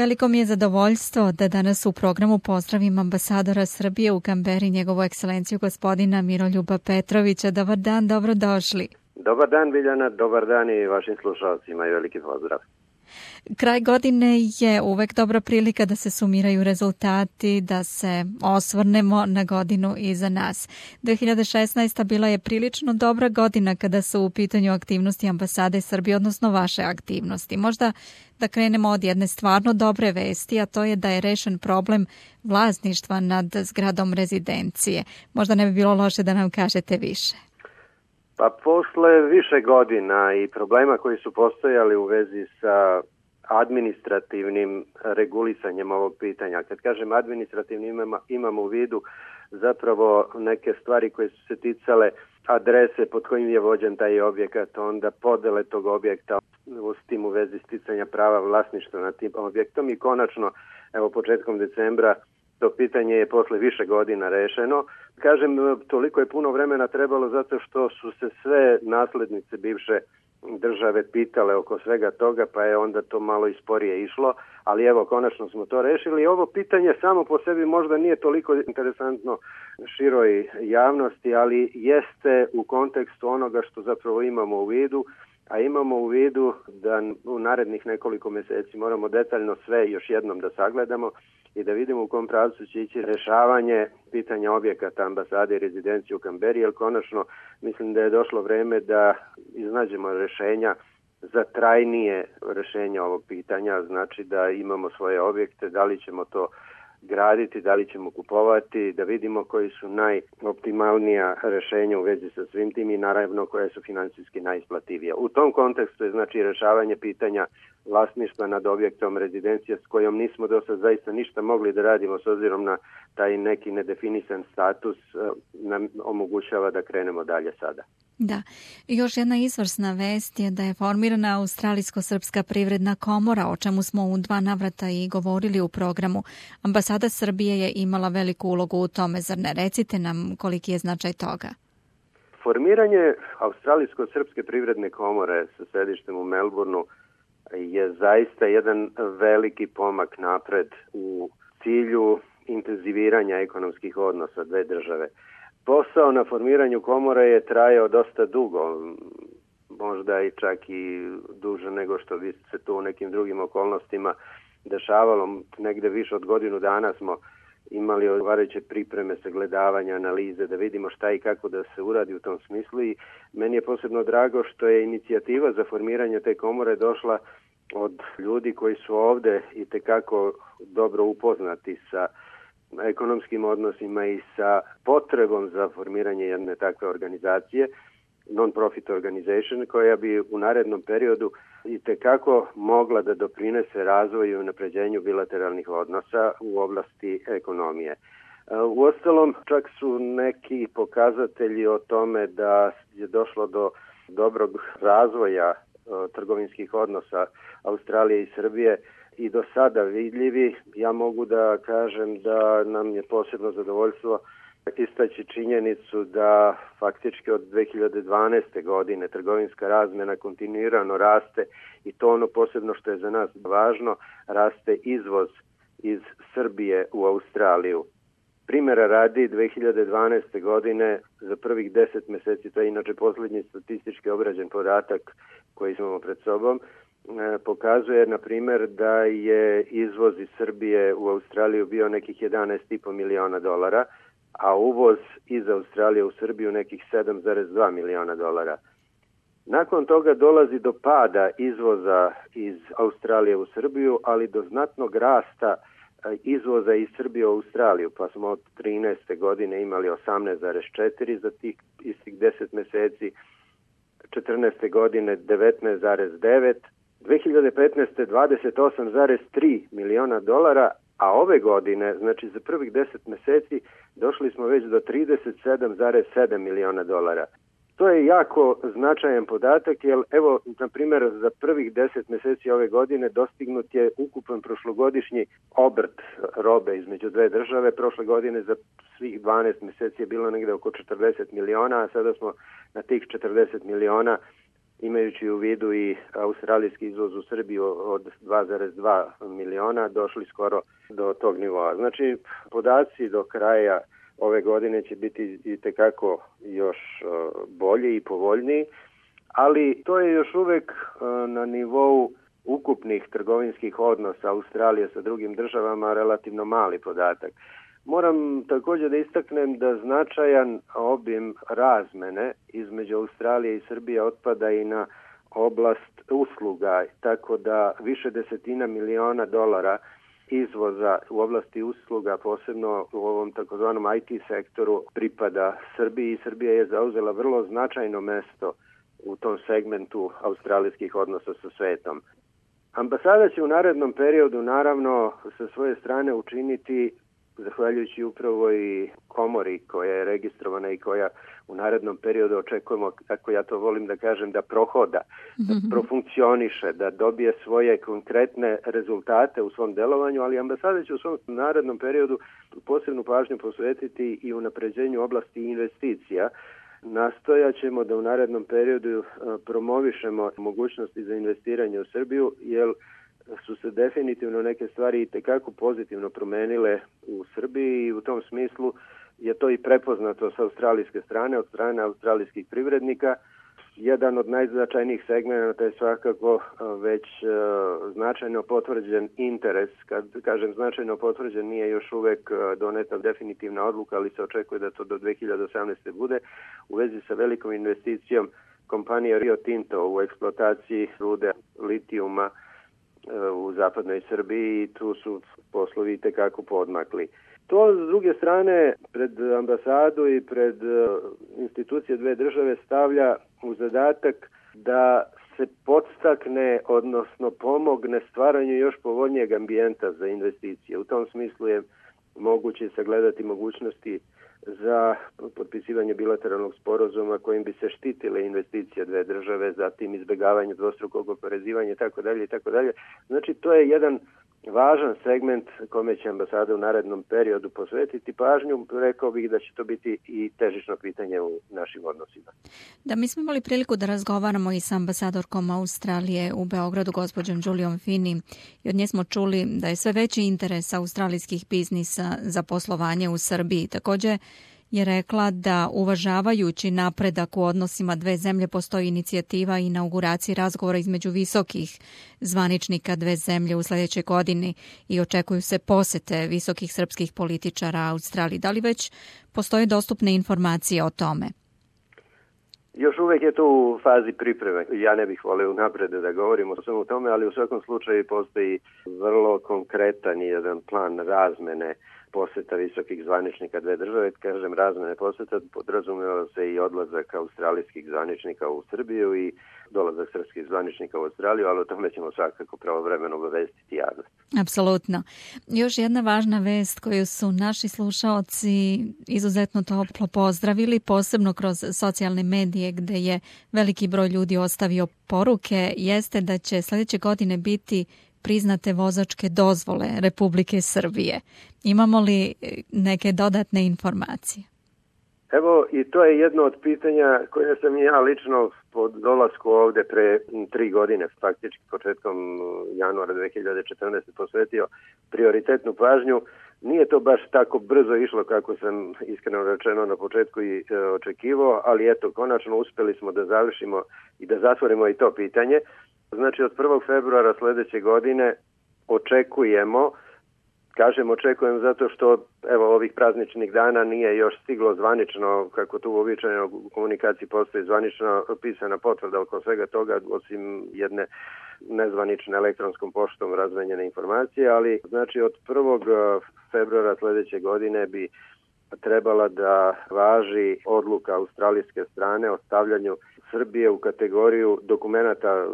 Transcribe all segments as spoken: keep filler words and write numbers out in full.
Veliko mi je zadovoljstvo da danas u programu pozdravim ambasadora Srbije u Kamberi, njegovu ekscelenciju gospodina Miroljuba Petrovića. Dobar dan, dobrodošli. Dobar dan, Biljana, dobar dan i vašim slušalcima i veliki pozdrav. Kraj godine je uvek dobra prilika da se sumiraju rezultati, da se osvrnemo na godinu iza nas. dve hiljade šesnaesta. bila je prilično dobra godina kada su u pitanju aktivnosti ambasade Srbije, odnosno vaše aktivnosti. Možda da krenemo od jedne stvarno dobre vesti, a to je da je rešen problem vlasništva nad zgradom rezidencije. Možda ne bi bilo loše da nam kažete više. Pa posle više godina i problema koji su postojali u vezi sa administrativnim regulisanjem ovog pitanja. Kad kažem administrativni imamo, imamo u vidu zapravo neke stvari koje su se ticale adrese pod kojim je vođen taj objekat, onda podele tog objekta, s tim u vezi sticanja prava vlasništva nad tim objektom i konačno, evo početkom decembra, to pitanje je posle više godina rešeno. Kažem, toliko je puno vremena trebalo zato što su se sve naslednice bivše države pitale oko svega toga, pa je onda to malo i sporije išlo, ali evo, konačno smo to rešili. Ovo pitanje samo po sebi možda nije toliko interesantno široj javnosti, ali jeste u kontekstu onoga što zapravo imamo u vidu, a imamo u vidu da u narednih nekoliko mjeseci moramo detaljno sve još jednom da sagledamo i da vidimo u kom pravcu će ići rešavanje pitanja objekata ambasade i rezidencije u Kamberi, jer konačno mislim da je došlo vreme da iznađemo rešenja za trajnije rešenje ovog pitanja, znači da imamo svoje objekte, da li ćemo to graditi, da li ćemo kupovati, da vidimo koji su najoptimalnija rešenja u vezi sa svim tim i naravno koje su financijski najisplativije. U tom kontekstu je znači rešavanje pitanja vlasništva nad objektom rezidencije s kojom nismo do sad zaista ništa mogli da radimo s obzirom na taj neki nedefinisan status nam omogućava da krenemo dalje sada. Da. I još jedna izvrsna vest je da je formirana Australijsko-srpska privredna komora, o čemu smo u dva navrata i govorili u programu. Ambasada Srbije je imala veliku ulogu u tome, zar ne? Recite nam koliki je značaj toga. Formiranje Australijsko-srpske privredne komore sa sedištem u Melbourneu je zaista jedan veliki pomak napred u cilju intenziviranja ekonomskih odnosa dve države. Posao na formiranju komore je trajao dosta dugo, možda i čak i duže nego što bi se to u nekim drugim okolnostima dešavalo. Negde više od godinu dana smo imali odgovarajuće pripreme, sagledavanja, analize, da vidimo šta i kako da se uradi u tom smislu i meni je posebno drago što je inicijativa za formiranje te komore došla od ljudi koji su ovde i tekako dobro upoznati sa ekonomskim odnosima i sa potrebom za formiranje jedne takve organizacije, non-profit organization, koja bi u narednom periodu i tekako mogla da doprinese razvoju i unapređenju bilateralnih odnosa u oblasti ekonomije. Uostalom, čak su neki pokazatelji o tome da je došlo do dobrog razvoja trgovinskih odnosa Australije i Srbije i do sada vidljivi. Ja mogu da kažem da nam je posebno zadovoljstvo istaći činjenicu da faktički od dve hiljade dvanaeste. godine trgovinska razmjena kontinuirano raste i to ono posebno što je za nas važno, raste izvoz iz Srbije u Australiju. Primjera radi, dve hiljade dvanaeste. godine za prvih deset mjeseci, to je inače posljednji statistički obrađen podatak koji imamo pred sobom, pokazuje, na primjer, da je izvoz iz Srbije u Australiju bio nekih jedanaest i po miliona dolara, a uvoz iz Australije u Srbiju nekih sedam zarez dva miliona dolara. Nakon toga dolazi do pada izvoza iz Australije u Srbiju, ali do znatnog rasta izvoza iz Srbije u Australiju, pa smo od trinaeste. godine imali osamnaest zarez četiri za tih istih deset mjeseci, četrnaeste. godine devetnaest zarez devet, dve hiljade petnaeste. dvadeset osam zarez tri miliona dolara, a ove godine, znači za prvih deset mjeseci, došli smo već do trideset sedam zarez sedam miliona dolara. To je jako značajan podatak, jer evo, na primjer, za prvih deset mjeseci ove godine dostignut je ukupan prošlogodišnji obrt robe između dve države. Prošle godine za svih dvanaest mjeseci je bilo negdje oko četrdeset miliona, a sada smo na tih četrdeset miliona imajući u vidu i australijski izvoz u Srbiju od dva zarez dva miliona, došli skoro do tog nivoa. Znači, podaci do kraja ove godine će biti itekako još bolji i povoljniji, ali to je još uvek na nivou ukupnih trgovinskih odnosa Australije sa drugim državama relativno mali podatak. Moram također da istaknem da značajan obim razmene između Australije i Srbije otpada i na oblast usluga, tako da više desetina miliona dolara izvoza u oblasti usluga, posebno u ovom takozvanom I T sektoru, pripada Srbiji i Srbija je zauzela vrlo značajno mesto u tom segmentu australijskih odnosa sa svetom. Ambasada će u narednom periodu naravno sa svoje strane učiniti, zahvaljujući upravo i komori koja je registrovana i koja u narednom periodu očekujemo, kako ja to volim da kažem, da prohoda, da profunkcioniše, da dobije svoje konkretne rezultate u svom delovanju, ali ambasada će u svom narednom periodu posebnu pažnju posvetiti i unapređenju oblasti investicija. Nastojat ćemo da u narednom periodu promovišemo mogućnosti za investiranje u Srbiju, jer su se definitivno neke stvari itekako pozitivno promenile u Srbiji i u tom smislu je to i prepoznato sa australijske strane, od strane australijskih privrednika. Jedan od najznačajnijih segmenata je svakako već značajno potvrđen interes. Kad kažem značajno potvrđen, nije još uvek doneta definitivna odluka, ali se očekuje da to do dve hiljade osamnaeste. bude u vezi sa velikom investicijom kompanije Rio Tinto u eksploataciji rude litijuma u zapadnoj Srbiji i tu su poslovi itekako podmakli. To, s druge strane, pred ambasadu i pred institucije dve države stavlja u zadatak da se podstakne, odnosno pomogne stvaranju još povoljnijeg ambijenta za investicije. U tom smislu je moguće sagledati mogućnosti za potpisivanje bilateralnog sporazuma kojim bi se štitile investicije dve države, zatim izbjegavanje dvostrukog oporezivanja itd. itd. Znači, to je jedan važan segment kome će ambasada u narednom periodu posvetiti pažnju. Rekao bih da će to biti i težično pitanje u našim odnosima. Da, mi smo imali priliku da razgovaramo i sa ambasadorkom Australije u Beogradu, gospođom Juliom Finney, i od nje smo čuli da je sve veći interes australijskih biznisa za poslovanje u Srbiji. Također je rekla da uvažavajući napredak u odnosima dve zemlje postoji inicijativa i inauguraciji razgovora između visokih zvaničnika dve zemlje u sljedećoj godini i očekuju se posete visokih srpskih političara Australiji. Da li već postoje dostupne informacije o tome? Još uvijek je to u fazi pripreme. Ja ne bih volio unapred da govorimo o svemu tome, ali u svakom slučaju postoji vrlo konkretan jedan plan razmene poseta visokih zvaničnika dve države. Kažem razmene poseta, podrazumijeva se i odlazak australijskih zvaničnika u Srbiju i dolazak srpskih zvaničnika u Australiju, ali o tome ćemo svakako pravovremeno obavestiti javnost. Apsolutno. Još jedna važna vest koju su naši slušaoci izuzetno toplo pozdravili, posebno kroz socijalne medije gde je veliki broj ljudi ostavio poruke, jeste da će sljedeće godine biti priznate vozačke dozvole Republike Srbije. Imamo li neke dodatne informacije? Evo, i to je jedno od pitanja koje sam ja lično po dolasku ovde pre tri godine, faktički početkom januara dve hiljade četrnaeste. posvetio prioritetnu pažnju. Nije to baš tako brzo išlo kako sam iskreno rečeno na početku i e, očekivao, ali eto, konačno uspeli smo da završimo i da zatvorimo i to pitanje. Znači, od prvog februara sljedeće godine očekujemo, kažem očekujem zato što evo ovih prazničnih dana nije još stiglo zvanično, kako tu uobičajeno u komunikaciji postoji zvanično pisana potvrda oko svega toga, osim jedne nezvanične elektronskom poštom razmenjene informacije, ali znači od prvog februara sljedeće godine bi trebala da važi odluka australijske strane o stavljanju Srbije u kategoriju dokumenata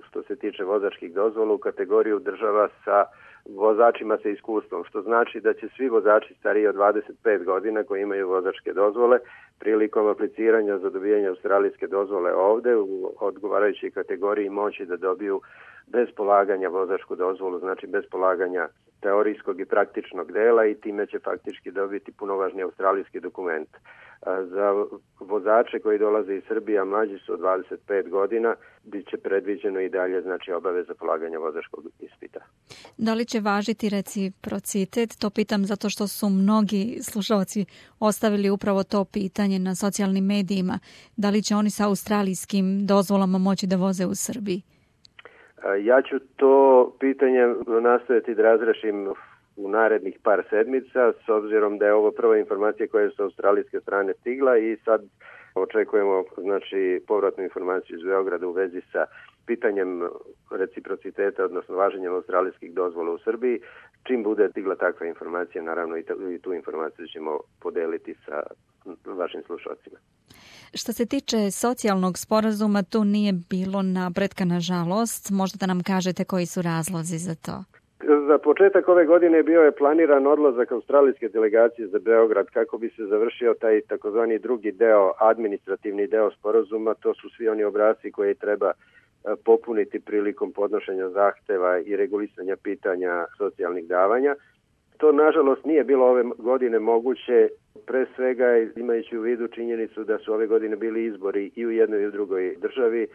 što se tiče vozačkih dozvola, u kategoriju država sa vozačima sa iskustvom, što znači da će svi vozači stariji od dvadeset pet godina koji imaju vozačke dozvole prilikom apliciranja za dobijanje australijske dozvole ovde u odgovarajućoj kategoriji moći da dobiju bez polaganja vozačku dozvolu, znači bez polaganja teorijskog i praktičnog dela i time će faktički dobiti punovažni australijski dokument. Za vozače koji dolaze iz Srbije, a mlađi su od dvadeset pet godina, bit će predviđeno i dalje znači obaveza polaganja vozačkog ispita. Da li će važiti reciprocitet? To pitam zato što su mnogi slušalci ostavili upravo to pitanje na socijalnim medijima. Da li će oni sa australijskim dozvolama moći da voze u Srbiji? Ja ću to pitanje nastojati da razrešim u narednih par sedmica, s obzirom da je ovo prva informacija koja je sa australijske strane stigla i sad očekujemo znači povratnu informaciju iz Beograda u vezi sa pitanjem reciprociteta, odnosno važenjem australijskih dozvola u Srbiji. Čim bude stigla takva informacija, naravno i, i tu informaciju ćemo podeliti sa vašim slušalcima. Što se tiče socijalnog sporazuma, tu nije bilo napretka, nažalost. Možda da nam kažete koji su razlozi za to? Za početak ove godine bio je planiran odlazak australijske delegacije za Beograd kako bi se završio taj takozvani drugi deo, administrativni deo sporazuma. To su svi oni obrasci koje treba popuniti prilikom podnošenja zahteva i regulisanja pitanja socijalnih davanja. To, nažalost, nije bilo ove godine moguće, pre svega imajući u vidu činjenicu da su ove godine bili izbori i u jednoj i u drugoj državi,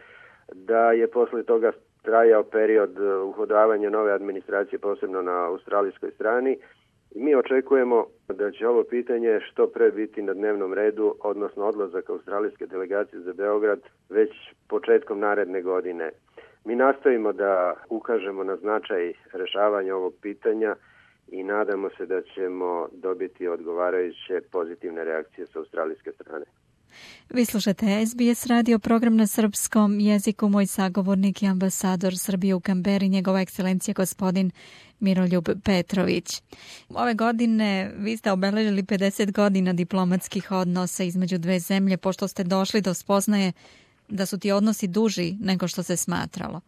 da je posle toga trajao period uhodavanja nove administracije, posebno na australijskoj strani. Mi očekujemo da će ovo pitanje što pre biti na dnevnom redu, odnosno odlazak australijske delegacije za Beograd već početkom naredne godine. Mi nastojimo da ukažemo na značaj rešavanja ovog pitanja i nadamo se da ćemo dobiti odgovarajuće pozitivne reakcije sa australijske strane. Vi slušate S B S radio, program na srpskom jeziku. Moj sagovornik je ambasador Srbije u Kamberi, njegova ekscelencija gospodin Miroljub Petrović. Ove godine vi ste obeležili pedeset godina diplomatskih odnosa između dve zemlje, pošto ste došli do spoznaje da su ti odnosi duži nego što se smatralo.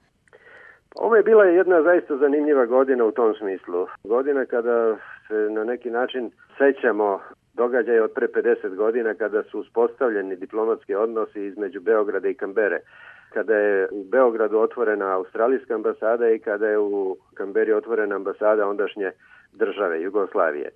Ovo je bila jedna zaista zanimljiva godina u tom smislu. Godina kada se na neki način sećamo događaja od pre pedeset godina kada su uspostavljeni diplomatski odnosi između Beograda i Kambere. Kada je u Beogradu otvorena australijska ambasada i kada je u Kamberi otvorena ambasada ondašnje države Jugoslavije.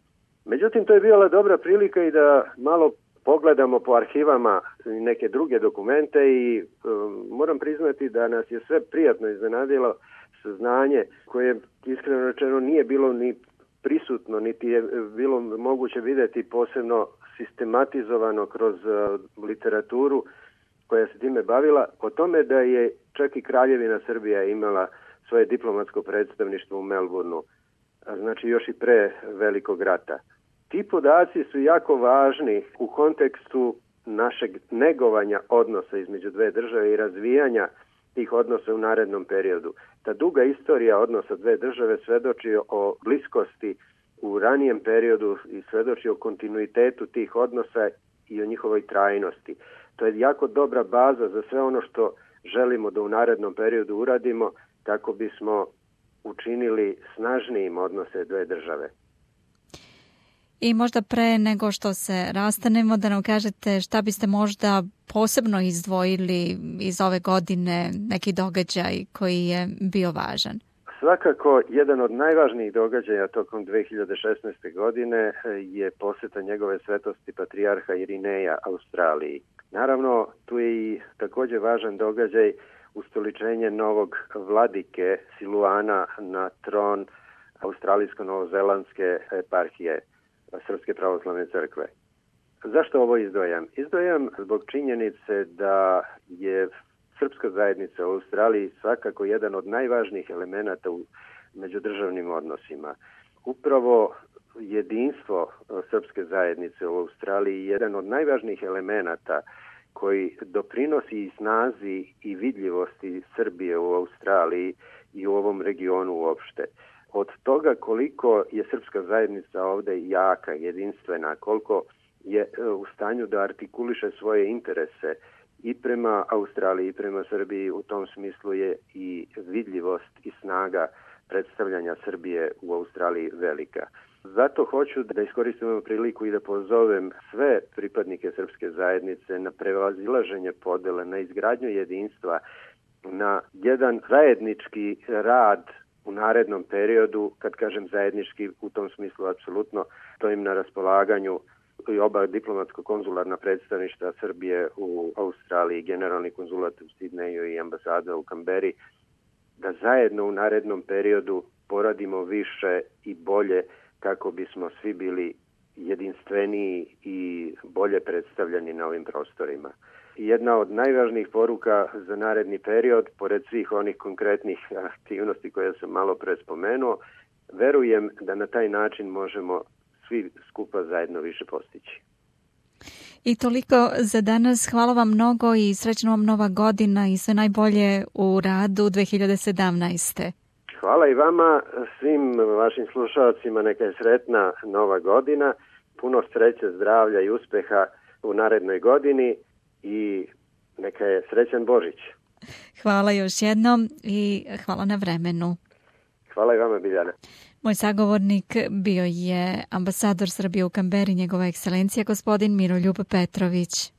Međutim, to je bila dobra prilika i da malo pogledamo po arhivama neke druge dokumente i um, moram priznati da nas je sve prijatno iznenadilo saznanje koje iskreno rečeno nije bilo ni prisutno, niti je bilo moguće vidjeti posebno sistematizovano kroz uh, literaturu koja se time bavila, o tome da je čak i Kraljevina Srbija imala svoje diplomatsko predstavništvo u Melbourneu, znači još i pre Velikog rata. Ti podaci su jako važni u kontekstu našeg negovanja odnosa između dve države i razvijanja tih odnosa u narednom periodu. Ta duga istorija odnosa dve države svedoči o bliskosti u ranijem periodu i svedoči o kontinuitetu tih odnosa i o njihovoj trajnosti. To je jako dobra baza za sve ono što želimo da u narednom periodu uradimo kako bismo učinili snažnijim odnose dve države. I možda pre nego što se rastanemo da nam kažete šta biste možda posebno izdvojili iz ove godine, neki događaj koji je bio važan. Svakako, jedan od najvažnijih događaja tokom dve hiljade šesnaeste. godine je poseta njegove svetosti patrijarha Irineja Australiji. Naravno, tu je i također važan događaj ustoličenje novog vladike Siluana na tron australijsko-novozelandske eparhije Srpske pravoslavne crkve. Zašto ovo izdvojam? Izdvojam zbog činjenice da je srpska zajednica u Australiji svakako jedan od najvažnijih elemenata u međudržavnim odnosima. Upravo jedinstvo srpske zajednice u Australiji je jedan od najvažnijih elemenata koji doprinosi i snazi i vidljivosti Srbije u Australiji i u ovom regionu uopšte. Od toga koliko je srpska zajednica ovde jaka, jedinstvena, koliko je u stanju da artikuliše svoje interese i prema Australiji i prema Srbiji, u tom smislu je i vidljivost i snaga predstavljanja Srbije u Australiji velika. Zato hoću da iskoristim ovu priliku i da pozovem sve pripadnike srpske zajednice na prevazilaženje podele, na izgradnju jedinstva na jedan zajednički rad u narednom periodu. Kad kažem zajednički, u tom smislu apsolutno stojim na raspolaganju i oba diplomatsko-konzularna predstavništva Srbije u Australiji, generalni konzulat u Sidneju i ambasada u Kamberi, da zajedno u narednom periodu poradimo više i bolje kako bismo svi bili jedinstveniji i bolje predstavljeni na ovim prostorima. Jedna od najvažnijih poruka za naredni period, pored svih onih konkretnih aktivnosti koje sam malo pre spomenuo, verujem da na taj način možemo svi skupa zajedno više postići. I toliko za danas. Hvala vam mnogo i srećna vam nova godina i sve najbolje u radu dve hiljade sedamnaeste. Hvala i vama, svim vašim slušalcima, neka je sretna nova godina, puno sreće, zdravlja i uspeha u narednoj godini i neka je srećan Božić. Hvala još jednom i hvala na vremenu. Hvala i vama, Biljana. Moj sagovornik bio je ambasador Srbije u Kamberi, njegova ekscelencija gospodin Miroljub Petrović.